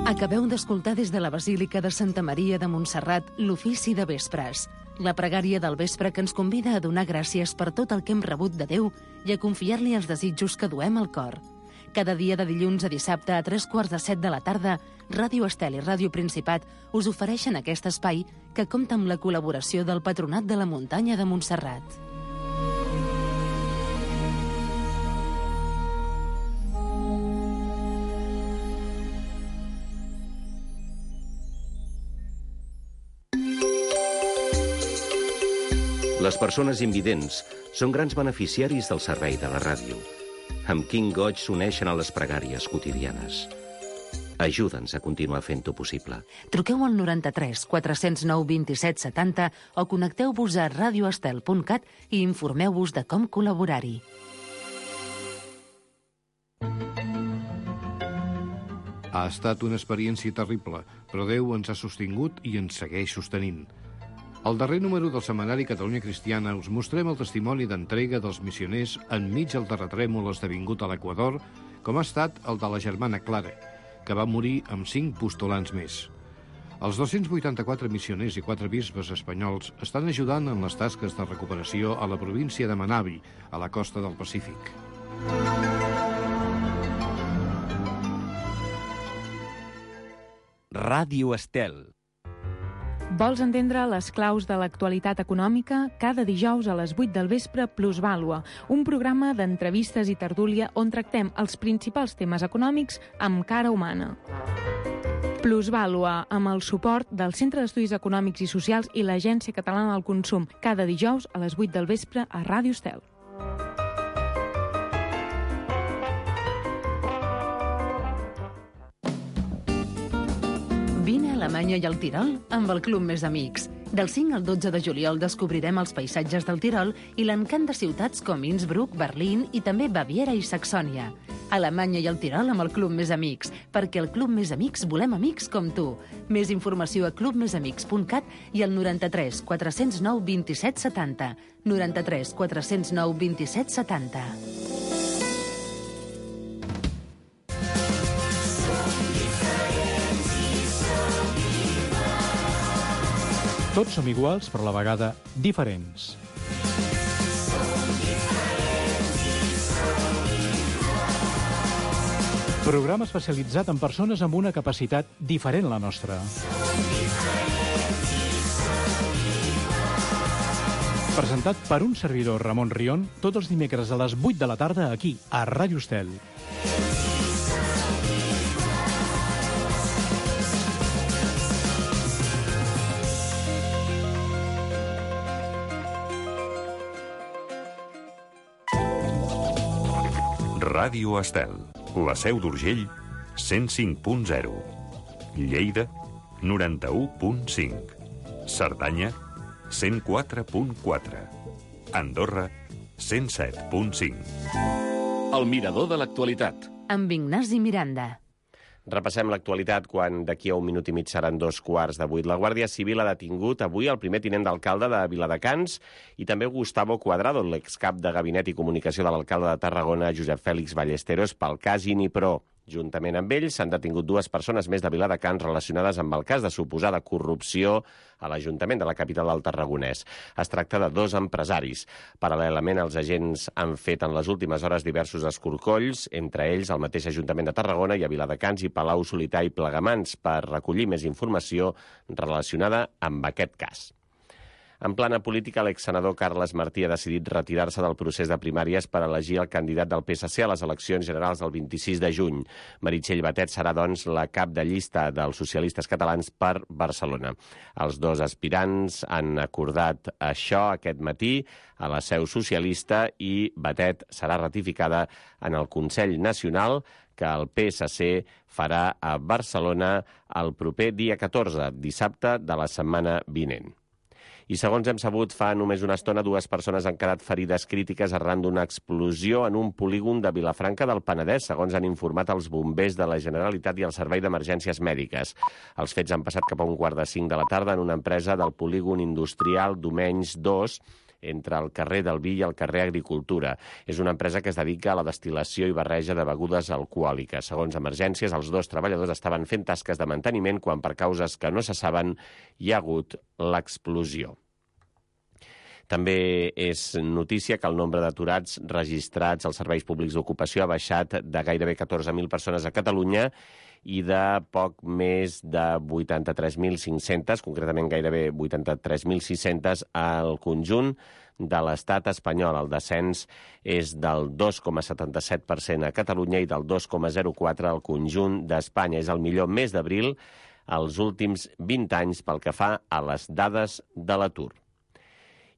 Acabeu d'escoltar des de la Basílica de Santa Maria de Montserrat l'ofici de vespres, la pregària del vespre que ens convida a donar gràcies per tot el que hem rebut de Déu i a confiar-li els desitjos que duem al cor. Cada dia de dilluns a dissabte a 3:45 de la tarda, Ràdio Estel i Ràdio Principat us ofereixen aquest espai que compta amb la col·laboració del Patronat de la Muntanya de Montserrat. Les persones invidents són grans beneficiaris del servei de la ràdio. Amb quin goig s'uneixen a les pregàries quotidianes. Ajuda'ns a continuar fent-ho possible. Truqueu al 93 409 27 70 o connecteu-vos a radioestel.cat i informeu-vos de com col·laborar-hi. Ha estat una experiència terrible, però Déu ens ha sostingut i ens segueix sostenint. Al darrer número del setmanari Catalunya Cristiana us mostrem el testimoni d'entrega dels missioners enmig del terratrèmol esdevingut a l'Equador, com ha estat el de la germana Clara, que va morir amb 5 postulants més. Els 284 missioners i 4 bisbes espanyols estan ajudant en les tasques de recuperació a la província de Manabí, a la costa del Pacífic. Ràdio Estel. Vols entendre les claus de l'actualitat econòmica? Cada dijous a les 8 del vespre, Plusvàlua, un programa d'entrevistes i tertúlia on tractem els principals temes econòmics amb cara humana. Plusvàlua, amb el suport del Centre d'Estudis Econòmics i Socials i l'Agència Catalana del Consum, cada dijous a les 8 del vespre a Ràdio Estel. Vine a Alemanya i al Tirol amb el Club Més Amics. Del 5 al 12 de juliol descobrirem els paisatges del Tirol i l'encant de ciutats com Innsbruck, Berlín i també Baviera i Saxònia. Alemanya i el Tirol amb el Club Més Amics, perquè el Club Més Amics volem amics com tu. Més informació a clubmesamics.cat i al 93 409 27 70. 93 409 27 70. Tots som iguals, però a la vegada diferents. Programa especialitzat en persones amb una capacitat diferent a la nostra. Presentat per un servidor, Ramon Rion, tots els dimecres a les 8 de la tarda aquí, a Ràdio Estel. Ràdio Estel, la Seu d'Urgell, 105.0. Lleida, 91.5. Cerdanya, 104.4. Andorra, 107.5. El mirador de l'actualitat. Amb Ignasi Miranda. Repassem l'actualitat quan d'aquí a un minut i mig seran 2:15. La Guàrdia Civil ha detingut avui el primer tinent d'alcalde de Viladecans i també Gustavo Cuadrado, l'excap de Gabinet i Comunicació de l'alcalde de Tarragona, Josep Fèlix Ballesteros, pel cas Inipro. Juntament amb ells s'han detingut 2 persones més de Viladecans relacionades amb el cas de suposada corrupció a l'Ajuntament de la capital del Tarragonès. Es tracta de 2 empresaris. Paral·lelament, els agents han fet en les últimes hores diversos escorcolls, entre ells el mateix Ajuntament de Tarragona i a Viladecans i Palau Solità i Plegamans, per recollir més informació relacionada amb aquest cas. En plana política, l'exsenador Carles Martí ha decidit retirar-se del procés de primàries per elegir el candidat del PSC a les eleccions generals del 26 de juny. Meritxell Batet serà, doncs, la cap de llista dels socialistes catalans per Barcelona. Els 2 aspirants han acordat això aquest matí a la seu socialista i Batet serà ratificada en el Consell Nacional que el PSC farà a Barcelona el proper dia 14, dissabte de la setmana vinent. I segons hem sabut, fa només una estona 2 persones han quedat ferides crítiques arran d'una explosió en un polígon de Vilafranca del Penedès, segons han informat els bombers de la Generalitat i el Servei d'Emergències Mèdiques. Els fets han passat cap a 4:45 de la tarda en una empresa del polígon industrial Domenys 2, entre el carrer del Vi i el carrer Agricultura. És una empresa que es dedica a la destil·lació i barreja de begudes alcohòliques. Segons Emergències, els 2 treballadors estaven fent tasques de manteniment quan, per causes que no se saben, hi ha hagut l'explosió. També és notícia que el nombre d'aturats registrats als serveis públics d'ocupació ha baixat de gairebé 14.000 persones a Catalunya i de poc més de 83.500, concretament gairebé 83.600 al conjunt de l'estat espanyol. El descens és del 2,77% a Catalunya i del 2,04% al conjunt d'Espanya. És el millor mes d'abril als últims 20 anys pel que fa a les dades de l'atur.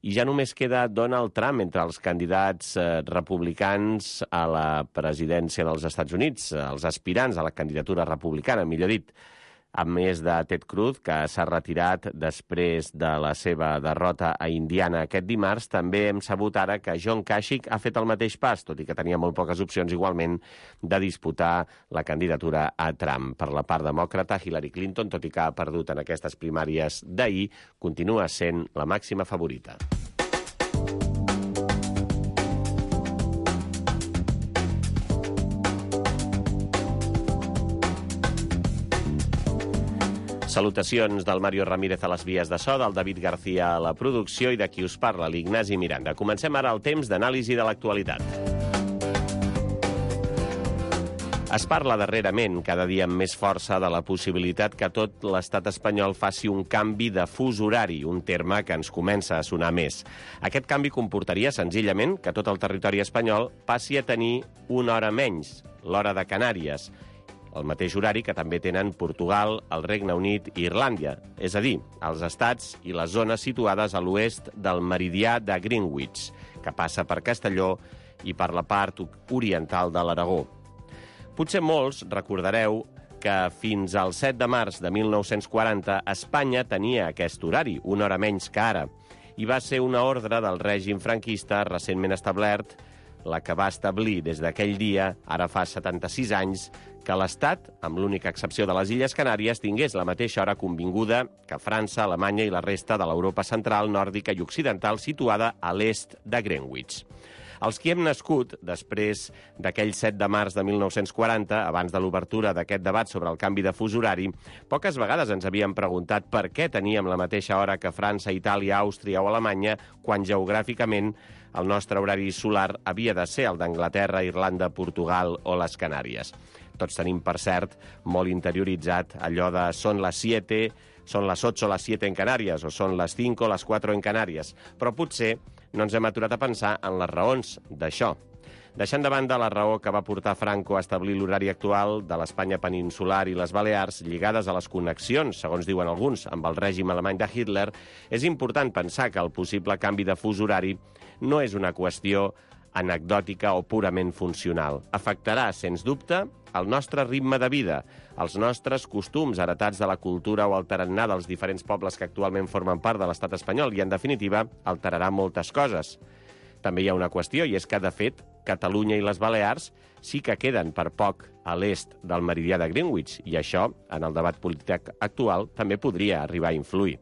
I ja només queda Donald Trump entre els candidats republicans a la presidència dels Estats Units, els aspirants a la candidatura republicana, millor dit, a més de Ted Cruz, que s'ha retirat després de la seva derrota a Indiana aquest dimarts. També hem sabut ara que John Kasich ha fet el mateix pas, tot i que tenia molt poques opcions igualment de disputar la candidatura a Trump. Per la part demòcrata, Hillary Clinton, tot i que ha perdut en aquestes primàries d'ahir, continua sent la màxima favorita. Salutacions del Mario Ramírez a les vies de so, del David García a la producció i de qui us parla, l'Ignasi Miranda. Comencem ara el temps d'anàlisi de l'actualitat. Es parla darrerament, cada dia amb més força, de la possibilitat que tot l'estat espanyol faci un canvi de fus horari, un terme que ens comença a sonar més. Aquest canvi comportaria senzillament que tot el territori espanyol passi a tenir una hora menys, l'hora de Canàries, el mateix horari que també tenen Portugal, el Regne Unit i Irlàndia, és a dir, els estats i les zones situades a l'oest del meridià de Greenwich, que passa per Castelló i per la part oriental de l'Aragó. Potser molts recordareu que fins al 7 de març de 1940 Espanya tenia aquest horari, una hora menys que ara, i va ser una ordre del règim franquista recentment establert, la que va establir des d'aquell dia, ara fa 76 anys, que l'Estat, amb l'única excepció de les Illes Canàries, tingués la mateixa hora convinguda que França, Alemanya i la resta de l'Europa central, nòrdica i occidental situada a l'est de Greenwich. Els qui hem nascut després d'aquell 7 de març de 1940, abans de l'obertura d'aquest debat sobre el canvi de fus horari, poques vegades ens havíem preguntat per què teníem la mateixa hora que França, Itàlia, Àustria o Alemanya, quan geogràficament el nostre horari solar havia de ser el d'Anglaterra, Irlanda, Portugal o les Canàries. Tots tenim, per cert, molt interioritzat allò de són les 7, són les 8 o les 7 en Canàries, o són les 5 o les 4 en Canàries. Però potser no ens hem aturat a pensar en les raons d'això. Deixant de banda la raó que va portar Franco a establir l'horari actual de l'Espanya peninsular i les Balears, lligades a les connexions, segons diuen alguns, amb el règim alemany de Hitler, és important pensar que el possible canvi de fus horari no és una qüestió anecdòtica o purament funcional. Afectarà, sens dubte, el nostre ritme de vida, els nostres costums heretats de la cultura o el tarannà dels diferents pobles que actualment formen part de l'estat espanyol i, en definitiva, alterarà moltes coses. També hi ha una qüestió, i és que, de fet, Catalunya i les Balears sí que queden per poc a l'est del meridià de Greenwich, i això, en el debat polític actual, també podria arribar a influir.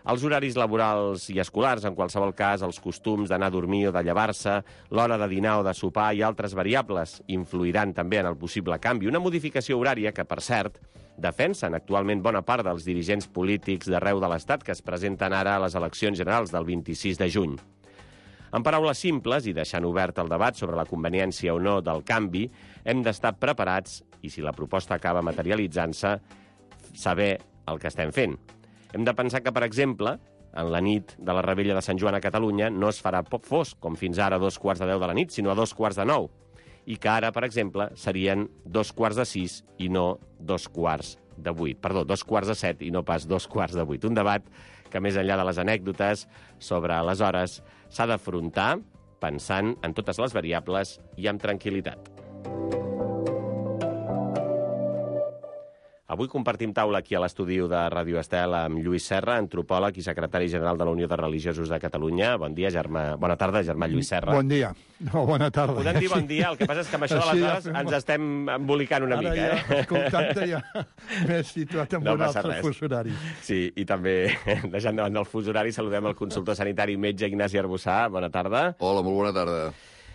Els horaris laborals i escolars, en qualsevol cas, els costums d'anar a dormir o de llevar-se, l'hora de dinar o de sopar i altres variables influiran també en el possible canvi. Una modificació horària que, per cert, defensen actualment bona part dels dirigents polítics d'arreu de l'Estat que es presenten ara a les eleccions generals del 26 de juny. En paraules simples, i deixant obert el debat sobre la conveniència o no del canvi, hem d'estar preparats, i si la proposta acaba materialitzant-se, saber el que estem fent. Hem de pensar que, per exemple, en la nit de la Rebella de Sant Joan a Catalunya no es farà poc fosc, com fins ara a 2:15 de la nit, sinó a 8:45, i que ara, per exemple, serien 6:15 i no 7:15. Perdó, 7:15 i no pas 7:15. Un debat que, més enllà de les anècdotes sobre les hores, s'ha d'afrontar pensant en totes les variables i amb tranquil·litat. Avui compartim taula aquí a l'estudi de Ràdio Estel amb Lluís Serra, antropòleg i secretari general de la Unió de Religiosos de Catalunya. Bon dia, Bona tarda, germà Lluís Serra. Bon dia. No, bona tarda. Podem dir bon dia, el que passa és que amb això de les hores ens estem embolicant una mica. Ara escoltant-te ja m'he situat en un altre fus horari. Sí, i també, deixant davant del fus horari, saludem el consultor sanitari metge Ignasi Arbussà. Bona tarda. Hola, molt bona tarda.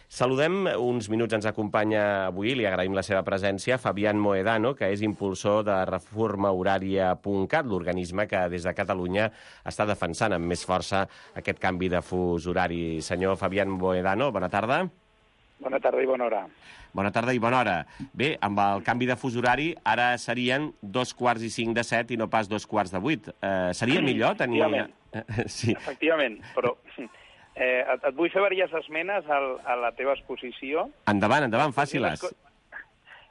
Saludem, uns minuts ens acompanya avui, li agraïm la seva presència, Fabián Mohedano, que és impulsor de reformahorària.cat, l'organisme que des de Catalunya està defensant amb més força aquest canvi de fus horari. Senyor Fabián Mohedano, bona tarda. Bona tarda i bona hora. Bona tarda i bona hora. Bé, amb el canvi de fus horari, ara serien 2:45 i no pas 2:45. Seria millor tenir... Sí. Efectivament, però... et vull fer diverses esmenes a la teva exposició. Endavant, fàcil-les.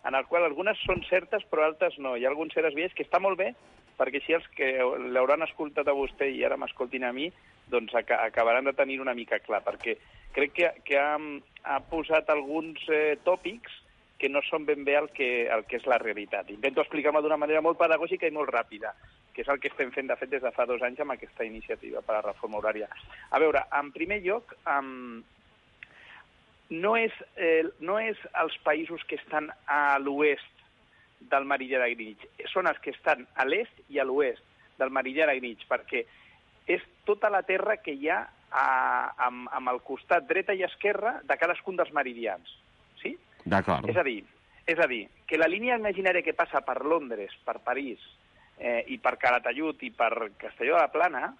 En el qual algunes són certes, però altres no. Hi ha alguns certs vies que està molt bé, perquè així els que l'hauran escoltat a vostè i ara m'escoltin a mi, doncs acabaran de tenir una mica clar, perquè crec que ha posat alguns tòpics que no són ben bé el que és la realitat. Intento explicar-me d'una manera molt pedagògica i molt ràpida, que és el que estem fent, de fet, des de fa 2 anys amb aquesta iniciativa per a la reforma horària. A veure, en primer lloc, no és els països que estan a l'oest del meridià de Greenwich, són els que estan a l'est i a l'oest del meridià de Greenwich, perquè és tota la terra que hi ha amb el costat dreta i esquerra de cadascun dels meridians. Sí? D'acord. És a dir, que la línia imaginària que passa per Londres, per París, i per Calatayud i per Castelló de la Plana,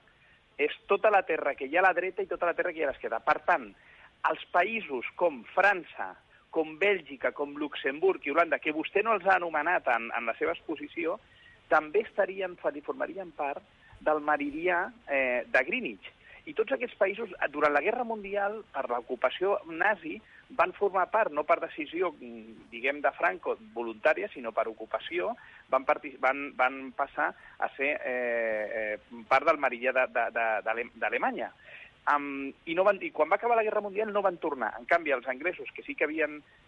és tota la terra que hi ha a la dreta i tota la terra que hi ha a l'esquerra. Per tant, els països com França, com Bèlgica, com Luxemburg i Holanda, que vostè no els ha anomenat en la seva exposició, també formarien part del meridià de Greenwich. I tots aquests països, durant la Guerra Mundial, per l'ocupació nazi, van formar part, no per decisió, diguem, de Franco, voluntària, sinó per ocupació, van passar a ser part del meridià d'Alemanya. I quan va acabar la Guerra Mundial no van tornar. En canvi, els anglesos, que sí que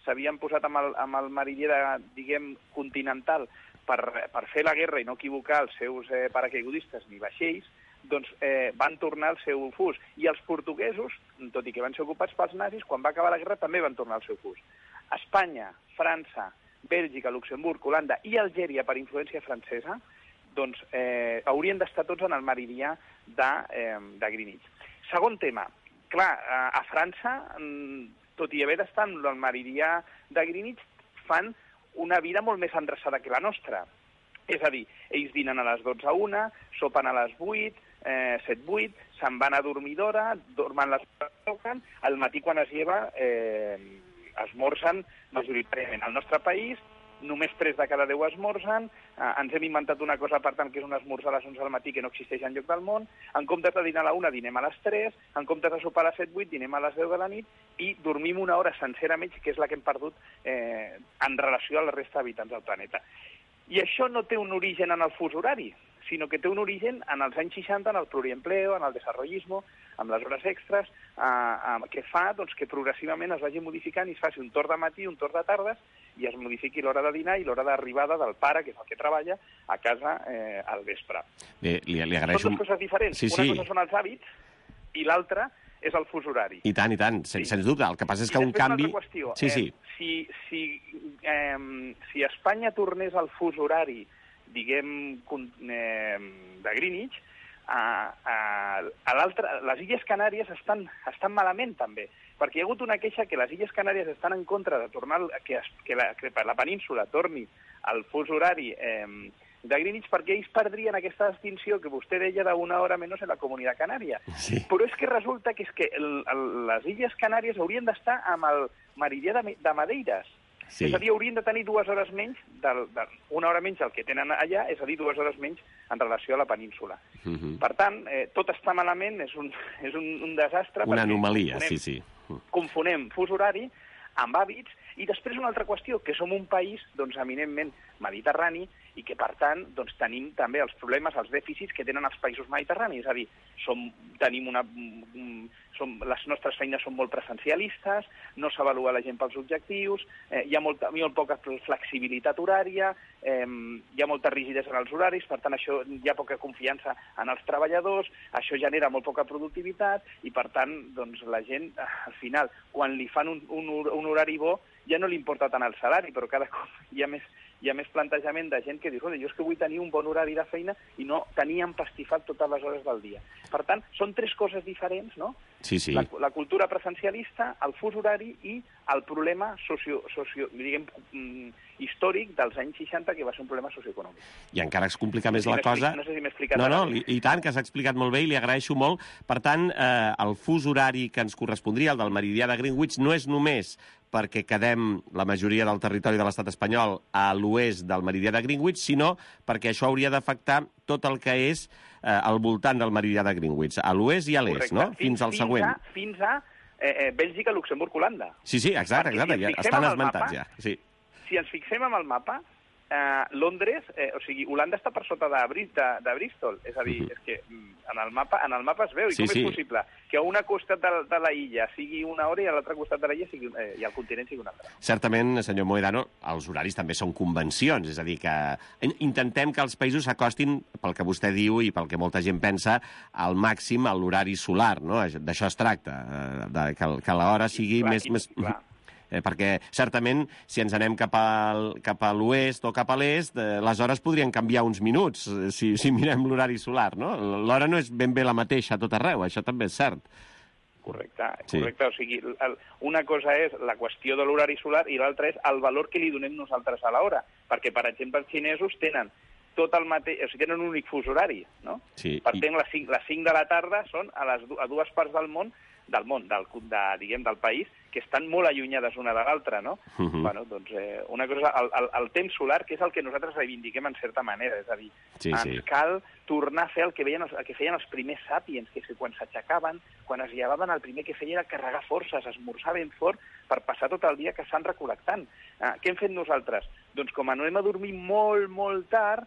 s'havien posat amb el meridià, diguem, continental per fer la guerra i no equivocar els seus paracaigudistes ni vaixells, doncs van tornar al seu fus. I els portuguesos, tot i que van ser ocupats pels nazis, quan va acabar la guerra també van tornar al seu fus. Espanya, França, Bèlgica, Luxemburg, Holanda i Algèria, per influència francesa, doncs haurien d'estar tots en el meridià de Greenwich. Segon tema. Clar, a França, tot i haver d'estar en el meridià de Greenwich, fan una vida molt més endreçada que la nostra. És a dir, ells dinen a les 12:01, sopen a les 8, 7-8, se'n van a dormir d'hora, dormen les hores, al matí quan es lleva esmorzen majoritàriament. Al nostre país, només 3 de cada 10 esmorzen, ens hem inventat una cosa, per tant, que és un esmorzar a les 11 del matí que no existeix enlloc del món, en comptes de dinar a la 1, dinem a les 3, en comptes de sopar a les 7-8, dinem a les 10 de la nit, i dormim una hora sencera menys, que és la que hem perdut en relació a la resta d'habitants del planeta. I això no té un origen en el fus horari, sinó que té un origen en els anys 60, en el pluriempleo, en el desarrollismo, amb les hores extres, que fa que progressivament es vagi modificant i es faci un torn de matí, un torn de tardes, i es modifiqui l'hora de dinar i l'hora d'arribada del pare, que és el que treballa, a casa al vespre. Li agraeixo... Són dues coses diferents. Sí. Una cosa són els hàbits i l'altra és el fus horari. I tant, sens dubte. El que passa és que un canvi... I després una altra qüestió. Sí. Si Espanya tornés al fus horari, diguem, de Greenwich, les Illes Canàries estan malament, també, perquè hi ha hagut una queixa que les Illes Canàries estan en contra de tornar que la península torni al fus horari de Greenwich, perquè ells perdrien aquesta distinció que vostè deia d'una hora menys en la Comunitat Canària. Sí. Però és que resulta que les Illes Canàries haurien d'estar amb el meridià de Madeiras. Sí. És a dir, haurien de tenir 2 hores menys, una hora menys del que tenen allà, és a dir, 2 hores menys en relació a la península. Per tant, tot està malament, és un desastre. Una anomalia, sí. Confonem fus horari amb hàbits, i després una altra qüestió, que som un país, doncs, eminentment mediterrani, i que, per tant, doncs, tenim també els problemes, els dèficits que tenen els països mediterranis. És a dir, les nostres feines són molt presencialistes, no s'avalua la gent pels objectius, hi ha molt poca flexibilitat horària, hi ha molta rigidesa en els horaris, per tant, això hi ha poca confiança en els treballadors, això genera molt poca productivitat i, per tant, doncs, la gent, al final, quan li fan un horari bo, ja no li importa tant el salari, però cada cop hi ha més plantejament de gent que diu, jo és que vull tenir un bon horari de feina i no tenir empastifat totes les hores del dia. Per tant, són tres coses diferents, no? Sí. La cultura presencialista, el fus horari i el problema històric dels anys 60, que va ser un problema socioeconòmic. I encara es complica més la cosa... No sé si m'he explicat... No, i tant, que s'ha explicat molt bé i li agraeixo molt. Per tant, el fus horari que ens correspondria, el del meridià de Greenwich, no és només perquè quedem la majoria del territori de l'estat espanyol a l'oest del meridià de Greenwich, sinó perquè això hauria d'afectar tot el que és al voltant del meridià de Greenwich, a l'oest i a l'est, no? Fins al següent. Fins a Bèlgica, Luxemburg, Holanda. Sí, exacte, ja estan esmentats ja. Sí. Si ens fixem en el mapa, Londres, Holanda està per sota de Bristol, és a dir, és que en el mapa es veu, i com és possible que a un costat de la illa sigui una hora i a l'altre costat de la illa i al continent sigui una altra. Certament, senyor Mohedano, els horaris també són convencions, és a dir, que intentem que els països s'acostin, pel que vostè diu i pel que molta gent pensa, al màxim a l'horari solar, no? D'això es tracta, que l'hora sigui més... perquè, certament, si ens anem cap a l'oest o cap a l'est, les hores podrien canviar uns minuts, si mirem l'horari solar, no? L'hora no és ben bé la mateixa a tot arreu, això també és cert. Correcte. O sigui, una cosa és la qüestió de l'horari solar i l'altra és el valor que li donem nosaltres a l'hora, perquè, per exemple, els xinesos tenen tot el mateix, o sigui, tenen un únic fus horari, no? Sí. Per tant, les 5 de la tarda són a dues parts del país, que estan molt allunyades una de l'altra, no? Bueno, doncs, una cosa, el temps solar, que és el que nosaltres reivindiquem en certa manera, és a dir, ens cal tornar a fer el que feien els primers sàpiens, que és que quan s'aixecaven, quan es llevaven, el primer que feien era carregar forces, esmorzar ben fort per passar tot el dia caçant recol·lectant. Què hem fet nosaltres? Doncs com anem a dormir molt, molt tard,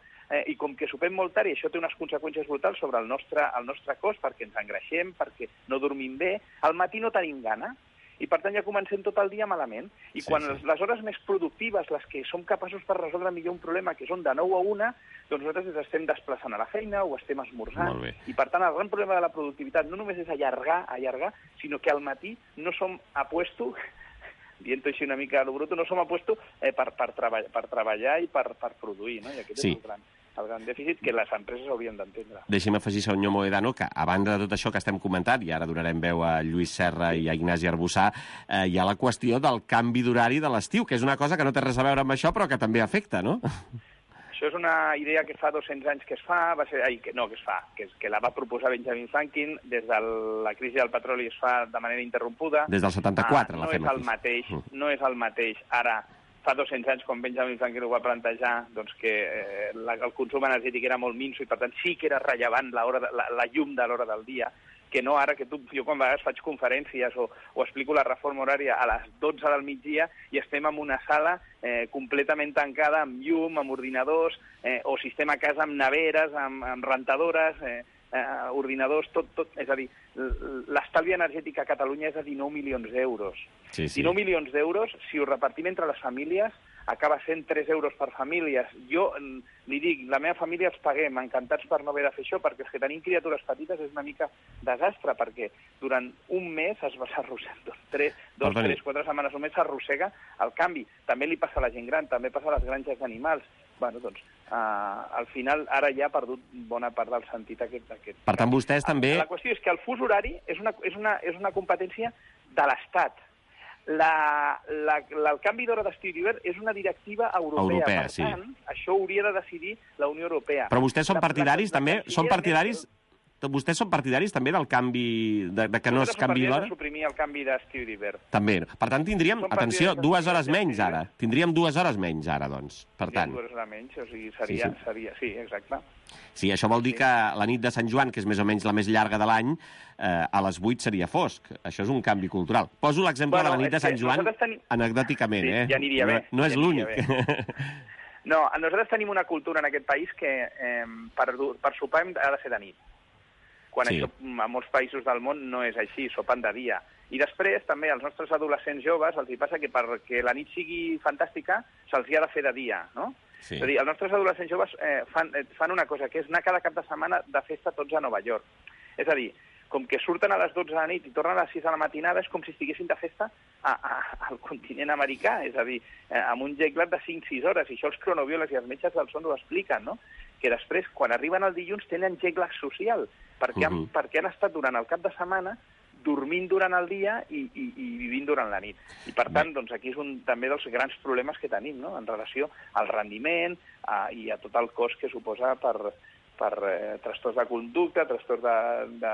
i com que sopem molt tard, i això té unes conseqüències brutals sobre el nostre cos, perquè ens engreixem, perquè no dormim bé, al matí no tenim gana, i per tant ja comencem tot el dia malament. I quan les hores més productives, les que som capaços per resoldre millor un problema, que són de 9 a 1, doncs nosaltres ens estem desplaçant a la feina o estem esmorzant. I per tant el gran problema de la productivitat no només és allargar, sinó que al matí no som a puesto, dient-ho així una mica a lo bruto, no som a puesto per treballar i per produir, no? I aquest és el gran dèficit que les empreses haurien d'entendre. Deixi'm afegir, senyor Mohedano, que a banda de tot això que estem comentant, i ara donarem veu a Lluís Serra i a Ignasi Arbussà, hi ha la qüestió del canvi d'horari de l'estiu, que és una cosa que no té res a veure amb això, però que també afecta, no? Això és una idea que fa 200 anys que es fa, que la va proposar Benjamin Franklin, des de la crisi del petroli es fa de manera interrompuda. Des del 74 la fem aquí. No és el mateix ara. Fa 200 anys, quan Benjamin Franklin ho va plantejar, doncs que el consum energètic era molt minso i, per tant, sí que era rellevant la llum de l'hora del dia, que no ara que jo quan a vegades faig conferències o explico la reforma horària a les 12 del migdia i estem en una sala completament tancada, amb llum, amb ordinadors, o si estem a casa amb neveres, amb rentadores, ordinadors, tot. És a dir, l'estalvi energètic a Catalunya és de 19 milions d'euros. 19 milions d'euros, si ho repartim entre les famílies, acaba sent 3 euros per famílies. Jo li dic, la meva família els paguem, encantats per no haver de fer això, perquè és que tenim criatures petites és una mica desastre, perquè durant un mes es va s'arrossega, 4 setmanes només s'arrossega el canvi. També li passa a la gent gran, també passa a les granges d'animals. Bueno, doncs, al final, ara ja ha perdut bona part del sentit aquest. Per tant, vostès també... La qüestió és que el fus horari és una competència de l'Estat. El canvi d'hora d'estiu i d'hivern és una directiva europea. Per tant, això hauria de decidir la Unió Europea. Però vostès són partidaris també? Vostès són partidaris també del canvi, de que no es canvi l'hora? Nosaltres som partidaris de suprimir el canvi d'estiu i d'hivern. També. Per tant, tindríem, atenció, 2 hores menys ara. Tindríem 2 hores menys ara, doncs. Per tant. 2 hores menys, o sigui, seria... Sí, exacte. Sí, això vol dir que la nit de Sant Joan, que és més o menys la més llarga de l'any, a les 8 seria fosc. Això és un canvi cultural. Poso l'exemple de la nit de Sant Joan anecdòticament, Ja aniria bé. No és l'únic. No, nosaltres tenim una cultura en aquest país que per sopar ha de ser de nit. Quan això a molts països del món no és així, sopen de dia. I després també als nostres adolescents joves els hi passa que perquè la nit sigui fantàstica se'ls hi ha de fer de dia, no? Sí. És a dir, els nostres adolescents joves fan una cosa, que és anar cada cap de setmana de festa tots a Nova York. És a dir, com que surten a les 12 de la nit i tornen a les 6 de la matinada, és com si estiguessin de festa al continent americà, és a dir, amb un jet lag de 5-6 hores, i això els cronobiòlegs i els metges del son ho expliquen, no? Que després, quan arriben el dilluns, tenen jet lag social, perquè han estat durant el cap de setmana dormint durant el dia i vivint durant la nit. I, per tant, doncs, aquí és també dels grans problemes que tenim, no?, en relació al rendiment i a tot el cost que suposa per trastorns de conducta, trastorns de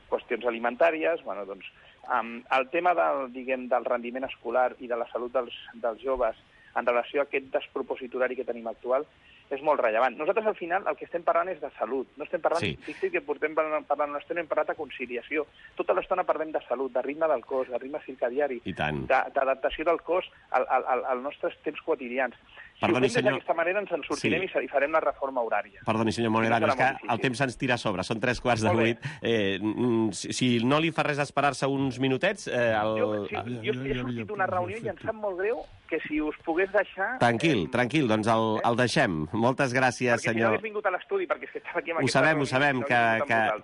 qüestions alimentàries. Bueno, doncs, el tema del rendiment escolar i de la salut dels joves en relació a aquest despropòsit horari que tenim actual és molt rellevant. Nosaltres, al final, el que estem parlant és de salut. No estem parlant, fixa't que portem parlant una estona, hem parlat de conciliació. Tota l'estona parlem de salut, de ritme del cos, de ritme circadiari, d'adaptació del cos als nostres temps quotidians. Si ho fem d'aquesta manera ens en sortirem i farem la reforma horària. Perdoni, senyor Mohedano, és que el temps ens tira a sobre. Són 7:45. Si no li fa res esperar-se uns minutets... Jo he sortit d'una reunió i em sap molt greu que si us pogués deixar... Tranquil, doncs el deixem. Moltes gràcies, senyor... Perquè si no hagués vingut a l'estudi, perquè és que estava aquí amb aquesta reunió... Ho sabem,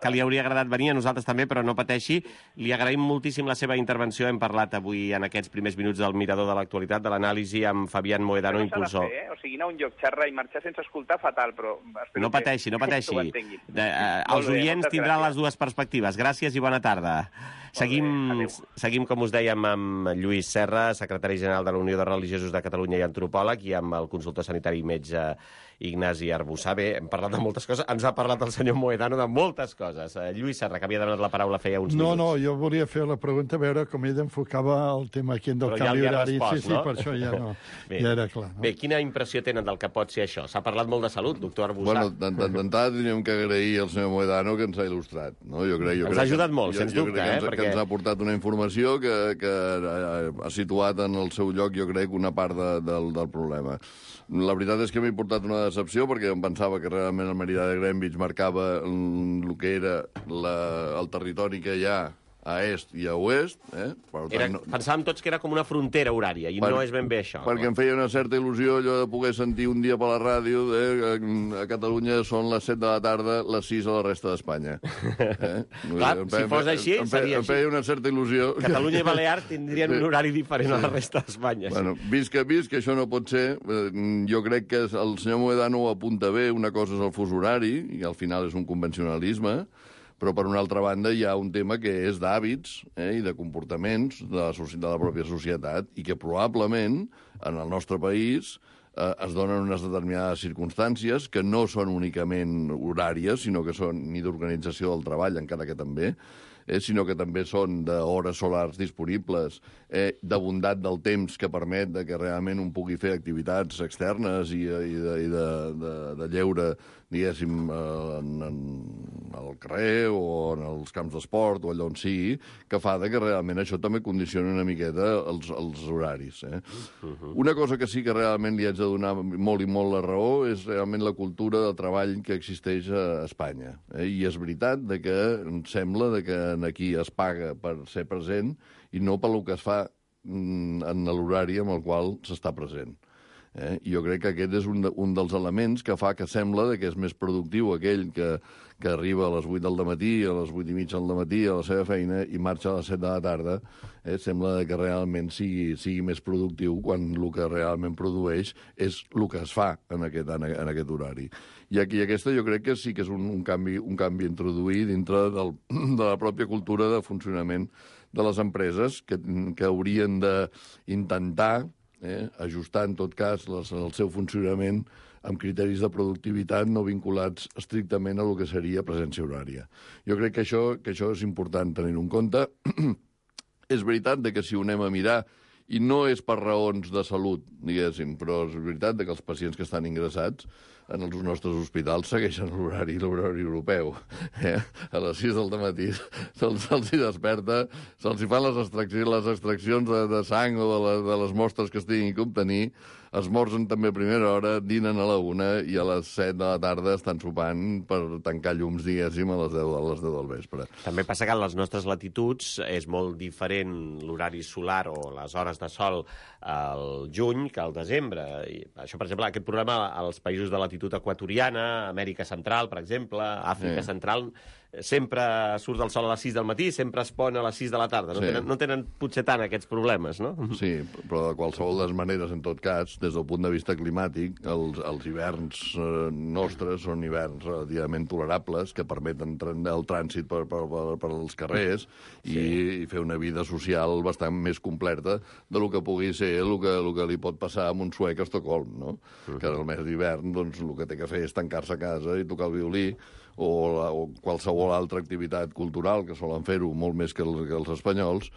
que li hauria agradat venir, a nosaltres també, però no pateixi. Li agraïm moltíssim la seva intervenció. Hem parlat avui, en aquests primers minuts, del Mirador de l'Actualitat, de l'anàlisi amb Fabián Mohedano, impulsor. O sigui, anar a un lloc, xerrar i marxar sense escoltar, fatal, però... No pateixi. Els oients tindran les dues perspectives. Gràcies i bona tarda. Seguim, com us dèiem, amb Lluís Serra, secretari general de la Unió de Religiosos de Catalunya i antropòleg, i amb el consultor sanitari i metge Ignasi Arbussà. Bé, hem parlat de moltes coses. Ens ha parlat el senyor Mohedano de moltes coses. Lluís Serra, que havia demanat la paraula feia uns minuts. No, jo volia fer la pregunta, a veure com ell enfocava el tema aquí del canvi horari. Sí, per això ja no. Ja era clar. Bé, quina impressió tenen del que pot ser això? S'ha parlat molt de salut, doctor Arbussà. Bueno, d'entrada teníem que agrair al senyor Mohedano que ens ha il·lustrat. Ens ha ajudat molt, sens dubte. Que ens ha portat una informació que ha situat en el seu lloc, jo crec, una part del problema. La veritat és que m'ha portat una decepció, perquè em pensava que realment el meridià de Greenwich marcava el que era el territori que hi ha a est i a oest. Pensàvem tots que era com una frontera horària, i no és ben bé això. Perquè em feia una certa il·lusió allò de poder sentir un dia per la ràdio a Catalunya són les 7 de la tarda, les 6 a la resta d'Espanya. Clar, si fos així, seria així. Em feia una certa il·lusió. Catalunya i Balears tindrien un horari diferent a la resta d'Espanya. Bueno, vist que això no pot ser, jo crec que el senyor Mohedano ho apunta bé. Una cosa és el fus horari, i al final és un convencionalisme, però, per una altra banda, hi ha un tema que és d'hàbits i de comportaments de la pròpia societat, i que probablement, en el nostre país, es donen unes determinades circumstàncies que no són únicament horàries, sinó que són ni d'organització del treball, encara que també, sinó que també són d'hores solars disponibles, de bondat del temps que permet que realment un pugui fer activitats externes i de lleure, diguéssim, al carrer o en els camps d'esport o allà on sigui, que fa que realment això també condiciona una miqueta els horaris. Una cosa que sí que realment li haig de donar molt i molt la raó és realment la cultura de treball que existeix a Espanya. I és veritat que em sembla que aquí es paga per ser present i no pel que es fa en l'horari amb el qual s'està present. I jo crec que aquest és un dels elements que fa que sembla que és més productiu aquell que arriba a les 8 del matí, a les 8 i mitja del matí a la seva feina i marxa a les 7 de la tarda, sembla que realment sigui més productiu quan el que realment produeix és el que es fa en aquest horari. I aquí aquesta jo crec que sí que és un canvi a introduir dintre de la pròpia cultura de funcionament de les empreses que haurien d'intentar ajustar, en tot cas, el seu funcionament amb criteris de productivitat no vinculats estrictament a el que seria presència horària. Jo crec que això és important tenir-ho en compte. És veritat que si ho anem a mirar, i no és per raons de salut, diguéssim, però és veritat que els pacients que estan ingressats en els nostres hospitals segueixen l'horari europeu. A les 6 del matí se'ls desperta, se'ls fan les extraccions de sang o de les mostres que es tinguin que obtenir, esmorzen també a primera hora, dinen a la 1 i a les 7 de la tarda estan sopant per tancar llums, diguéssim, a les 10 del vespre. També passa que a les nostres latituds és molt diferent l'horari solar o les hores de sol al juny que al desembre. I això, per exemple, aquest problema als països de latitud equatoriana, Amèrica Central, per exemple, Àfrica Central, sempre surt el sol a les 6 del matí, sempre es pon a les 6 de la tarda. No tenen potser tant aquests problemes, no? Sí, però de qualsevol de les maneres, en tot cas, des del punt de vista climàtic, els hiverns nostres són hiverns relativament tolerables, que permeten el trànsit per als carrers i fer una vida social bastant més completa del que pugui ser el que li pot passar a un suec a Estocolm, no? Que en el mes d'hivern doncs, el que té que fer és tancar-se a casa i tocar el violí o qualsevol altra activitat cultural, que solen fer-ho molt més que els espanyols,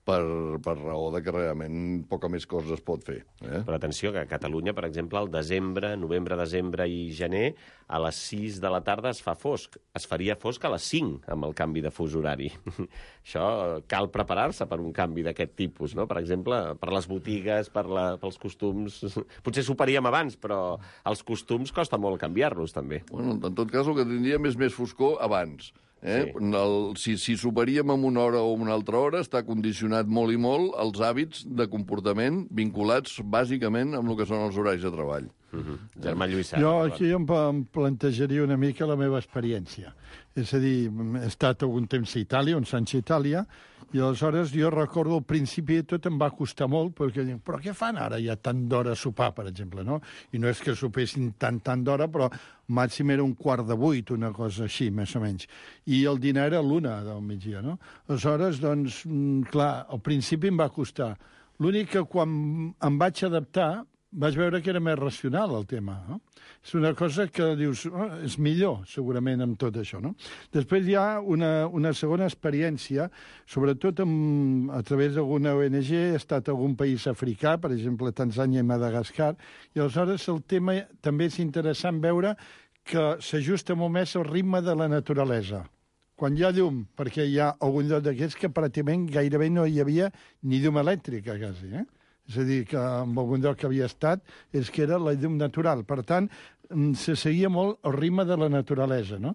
per raó de que realment poca més cosa es pot fer. Però atenció, que a Catalunya, per exemple, al desembre, novembre, desembre i gener, a les 6 de la tarda es fa fosc. Es faria fosc a les 5 amb el canvi de fus horari. Això cal preparar-se per un canvi d'aquest tipus, no? Per exemple, per les botigues, pels costums... Potser s'ho faríem abans, però els costums costa molt canviar-los, també. Bueno, en tot cas, el que tindríem és més foscor abans. Si superaríem en una hora o una altra hora, està condicionat molt i molt els hàbits de comportament vinculats bàsicament amb el que són els horaris de treball. Germà Lluís. Jo aquí em plantejaria una mica la meva experiència. És a dir, he estat algun temps a Itàlia, on Sancho Itàlia, i aleshores jo recordo al principi tot em va costar molt, perquè dic, però què fan ara ja tant d'hora a sopar, per exemple, no? I no és que sopessin tant d'hora, però màxim era 7:15, una cosa així, més o menys. I el dinar era a l'1 del migdia, no? Aleshores, doncs, clar, al principi em va costar. L'únic que quan em vaig adaptar vaig veure que era més racional el tema, no? És una cosa que dius, és millor, segurament, amb tot això, no? Després hi ha una segona experiència, sobretot a través d'alguna ONG, he estat a algun país africà, per exemple, Tanzània i Madagascar, i aleshores el tema també és interessant veure que s'ajusta molt més al ritme de la naturalesa. Quan hi ha llum, perquè hi ha algun lloc d'aquests que pràcticament gairebé no hi havia ni llum elèctrica, quasi, És a dir, que en algun lloc que havia estat és que era la llum natural. Per tant, se seguia molt el ritme de la naturalesa, no?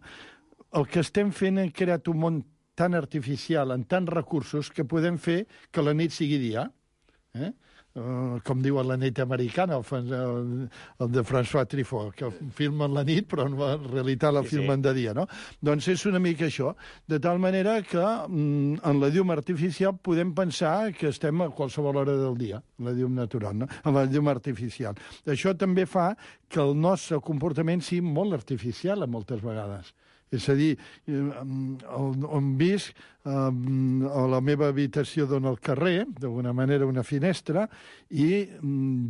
El que estem fent és crear un món tan artificial, amb tants recursos, que podem fer que la nit sigui dia. Com diuen La nit americana, el de François Truffaut, que filmen la nit, però en realitat la filmen de dia, no? Doncs és una mica això. De tal manera que en la llum artificial podem pensar que estem a qualsevol hora del dia, la llum natural, no? Amb la llum artificial. Això també fa que el nostre comportament sigui molt artificial, moltes vegades. És a dir, on visc, a la meva habitació dona al carrer, d'alguna manera una finestra, i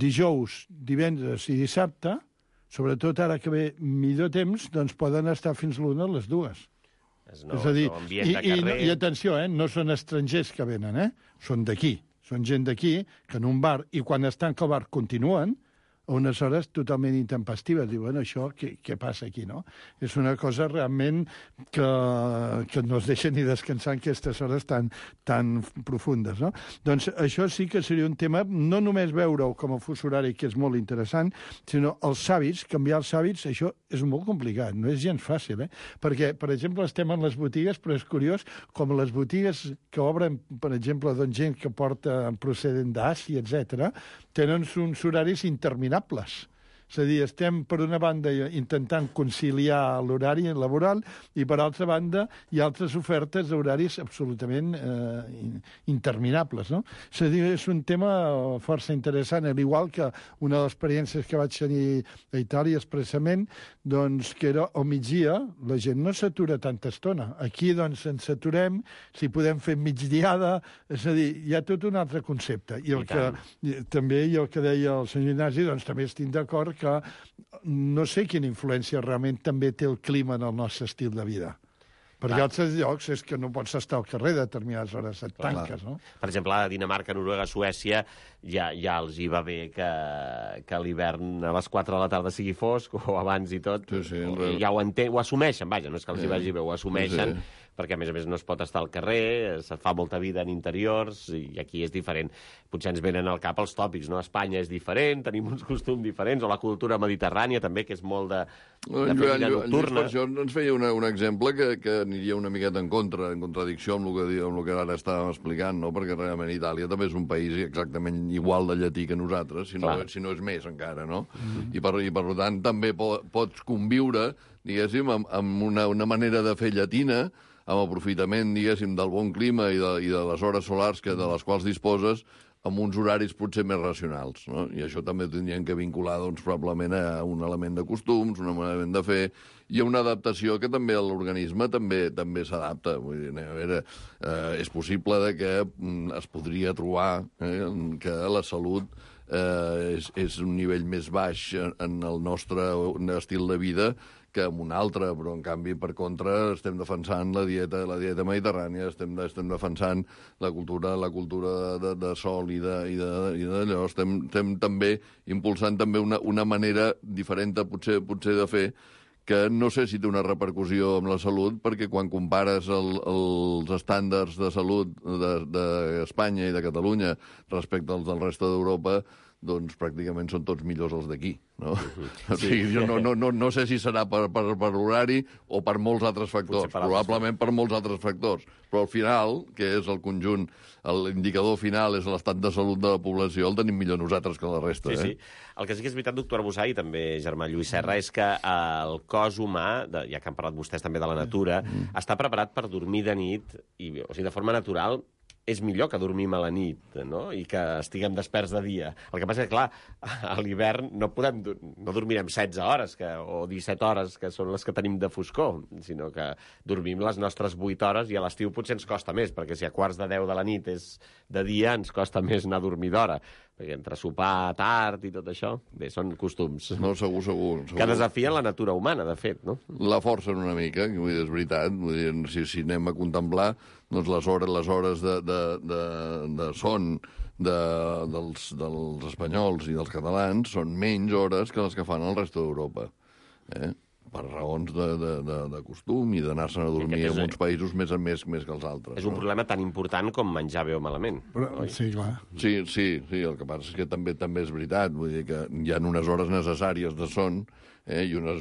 dijous, divendres i dissabte, sobretot ara que ve millor temps, doncs poden estar fins l'1 a les 2. És a dir, i atenció, no són estrangers que venen, són d'aquí, són gent d'aquí, que en un bar, i quan es tanca el bar continuen, a unes hores totalment intempestives. Diuen, això, què passa aquí, no? És una cosa realment que no es deixa ni descansar en aquestes hores tan profundes, no? Doncs això sí que seria un tema, no només veure-ho com a fus horari, que és molt interessant, sinó els hàbits, canviar els hàbits, això és molt complicat, no és gens fàcil, Perquè, per exemple, estem en les botigues, però és curiós, com les botigues que obren, per exemple, doncs gent que porta procedent d'Àsia, etc., tenen uns horaris interminables. És a dir, estem, per una banda, intentant conciliar l'horari laboral i, per altra banda, hi ha altres ofertes d'horaris absolutament interminables, no? És a dir, és un tema força interessant, al igual que una de les experiències que vaig tenir a Itàlia expressament, doncs, que era al migdia, la gent no s'atura tanta estona. Aquí, doncs, ens aturem, si podem fer migdiada, és a dir, hi ha tot un altre concepte. I el que també, i el que deia el senyor Ignasi, doncs també estic d'acord que no sé quina influència realment també té el clima en el nostre estil de vida. Perquè altres llocs és que no pots estar al carrer a determinades hores, et tanques, no? Per exemple, a Dinamarca, Noruega, Suècia, ja els hi va bé que l'hivern a les 4 de la tarda sigui fosc, o abans i tot. Ja ho assumeixen, vaja, no és que els hi vagi bé, ho assumeixen, perquè a més no es pot estar al carrer, se fa molta vida en interiors, i aquí és diferent. Potser ens venen al cap els tòpics, no? Espanya és diferent, tenim uns costums diferents, o la cultura mediterrània també, que és molt de vida nocturna. Per això ens feia un exemple que aniria una miqueta en contradicció amb el que ara estàvem explicant, no? Perquè realment Itàlia també és un país exactament igual de llatí que nosaltres, si no és més encara, no? I per tant també pots conviure, diguéssim, amb una manera de fer llatina, amb aprofitament, diguéssim, del bon clima i de les hores solars de les quals disposes, amb uns horaris potser més racionals, no? I això també tindrien que vincular, doncs, probablement a un element de costums, un element de fer, i a una adaptació que també l'organisme també s'adapta. Vull dir, a veure, és possible que es podria trobar que la salut és un nivell més baix en el nostre estil de vida que en un altre, però en canvi, per contra, estem defensant la dieta mediterrània, estem defensant la cultura de sol i d'allò, estem també impulsant també una manera diferent potser de fer, que no sé si té una repercussió amb la salut, perquè quan compares els estàndards de salut d'Espanya i de Catalunya respecte als del resta d'Europa, doncs pràcticament són tots millors els d'aquí, no? O sigui, jo no sé si serà per l'horari o per molts altres factors, probablement per molts altres factors, però al final, que és el conjunt, l'indicador final és l'estat de salut de la població, el tenim millor nosaltres que la resta. Sí. El que sí que és veritat, doctor Arbossà, i també germà Lluís Serra, és que el cos humà, ja que han parlat vostès també de la natura, està preparat per dormir de nit, o sigui, de forma natural, és millor que dormim a la nit, no? I que estiguem desperts de dia. El que passa és que, clar, a l'hivern no dormirem 16 hores o 17 hores, que són les que tenim de foscor, sinó que dormim les nostres 8 hores i a l'estiu potser ens costa més, perquè si a quarts de 10 de la nit és de dia, ens costa més anar a dormir d'hora. Perquè entre sopar tard i tot això, bé, són costums. No, segur. Que desafien la natura humana, de fet, no? La forcen una mica, que vull dir, és veritat. Vull dir, si anem a contemplar, doncs les hores de son dels espanyols i dels catalans són menys hores que les que fan el resto d'Europa. Per raons de costum i d'anar-se'n a dormir en uns països més que els altres. És un problema tan important com menjar bé o malament. Sí, clar. Sí, el que passa és que també és veritat. Vull dir que hi ha unes hores necessàries de son i unes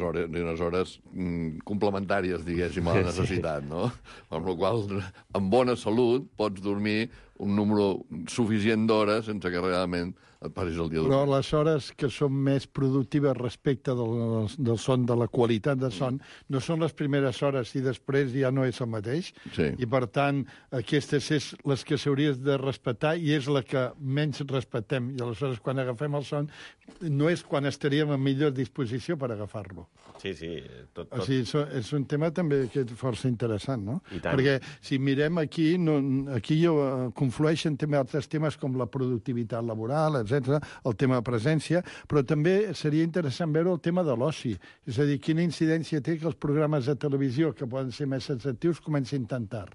hores complementàries, diguéssim, a la necessitat, no? Amb la qual cosa, amb bona salut, pots dormir un número suficient d'hores sense que realment et passis el dia dormint. Però les hores que són més productives respecte del son, de la qualitat de son, no són les primeres hores i després ja no és el mateix. Sí. I, per tant, aquestes és les que s'hauries de respectar i és la que menys respectem. I aleshores, quan agafem el son, no és quan estaríem en millor disposició per agafar-lo. Sí. Tot. O sigui, és un tema també que és força interessant, no? I tant. Perquè si mirem aquí, aquí conflueixen també altres temes com la productivitat laboral, etc, el tema de presència, però també seria interessant veure el tema de l'oci. És a dir, quina incidència té que els programes de televisió, que poden ser més atractius, comencin tan tard.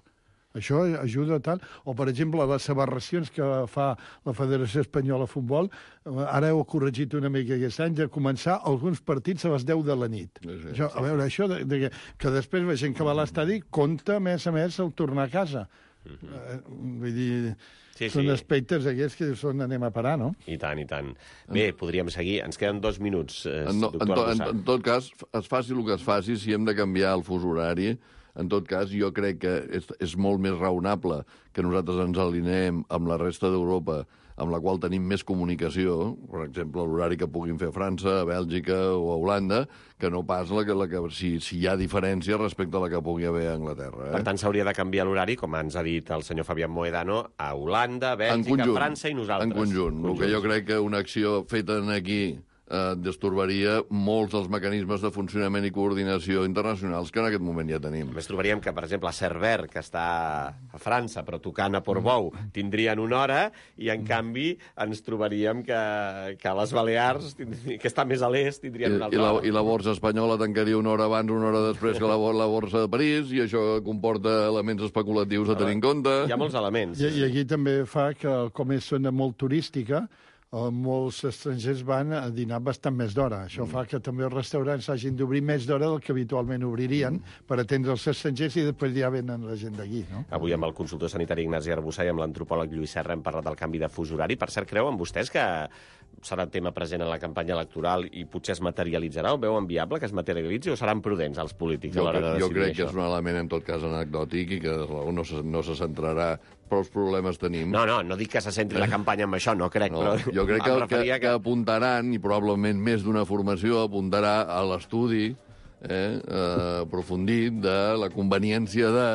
Això ajuda tant. O, per exemple, les aberracions que fa la Federació Espanyola de Futbol, ara heu corregit una mica aquest any, de començar alguns partits a les 10 de la nit. Sí. A veure, això que després la gent que va a l'estadi compta, a més, el tornar a casa. Vull dir, són aspectes aquests que són anem a parar, no? I tant. Bé, podríem seguir. Ens queden 2 minuts, doctor Arbossà. En tot cas, es faci el que es faci, si hem de canviar el fus horari, en tot cas, jo crec que és molt més raonable que nosaltres ens alineem amb la resta d'Europa, amb la qual tenim més comunicació, per exemple, l'horari que puguin fer a França, a Bèlgica o a Holanda, que no pas si hi ha diferència respecte a la que pugui haver a Anglaterra. Per tant, s'hauria de canviar l'horari, com ens ha dit el senyor Fabián Mohedano, a Holanda, Bèlgica, França i nosaltres. En conjunt. El que jo crec que una acció feta aquí destorbaria molts dels mecanismes de funcionament i coordinació internacionals que en aquest moment ja tenim. A més, trobaríem que, per exemple, a Cerver, que està a França, però tocant a Portbou, tindrien una hora, i, en canvi, ens trobaríem que a les Balears, que està més a l'est, tindrien una altra hora. I la borsa espanyola tancaria una hora abans, una hora després que la borsa de París, i això comporta elements especulatius a tenir en compte. Hi ha molts elements. I aquí també fa que, com és zona molt turística, molts estrangers van a dinar bastant més d'hora. Això fa que també els restaurants hagin d'obrir més d'hora del que habitualment obririen per atendre els estrangers i després ja venen la gent d'aquí, no? Avui amb el consultor sanitari Ignasi Arbussà i amb l'antropòleg Lluís Serra hem parlat del canvi de fus horari. Per cert, creuen vostès que serà tema present en la campanya electoral i potser es materialitzarà? Ho veuen viable que es materialitzi o seran prudents els polítics a l'hora de decidir això? Jo crec que és un element, en tot cas, anecdòtic i que no se centrarà. Però els problemes tenim. No dic que se centri la campanya amb això, no crec, però... Jo crec que apuntaran, i probablement més d'una formació apuntarà a l'estudi aprofundit de la conveniència de...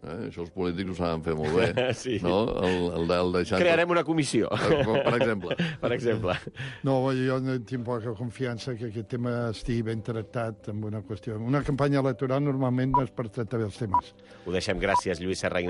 Això els polítics ho saben fer molt bé. Sí. No? El deixar... Crearem una comissió. Per exemple. Per exemple. No, jo no tinc poca confiança que aquest tema estigui ben tractat amb una qüestió. Una campanya electoral normalment no és per tractar bé els temes. Ho deixem. Gràcies, Lluís Serra.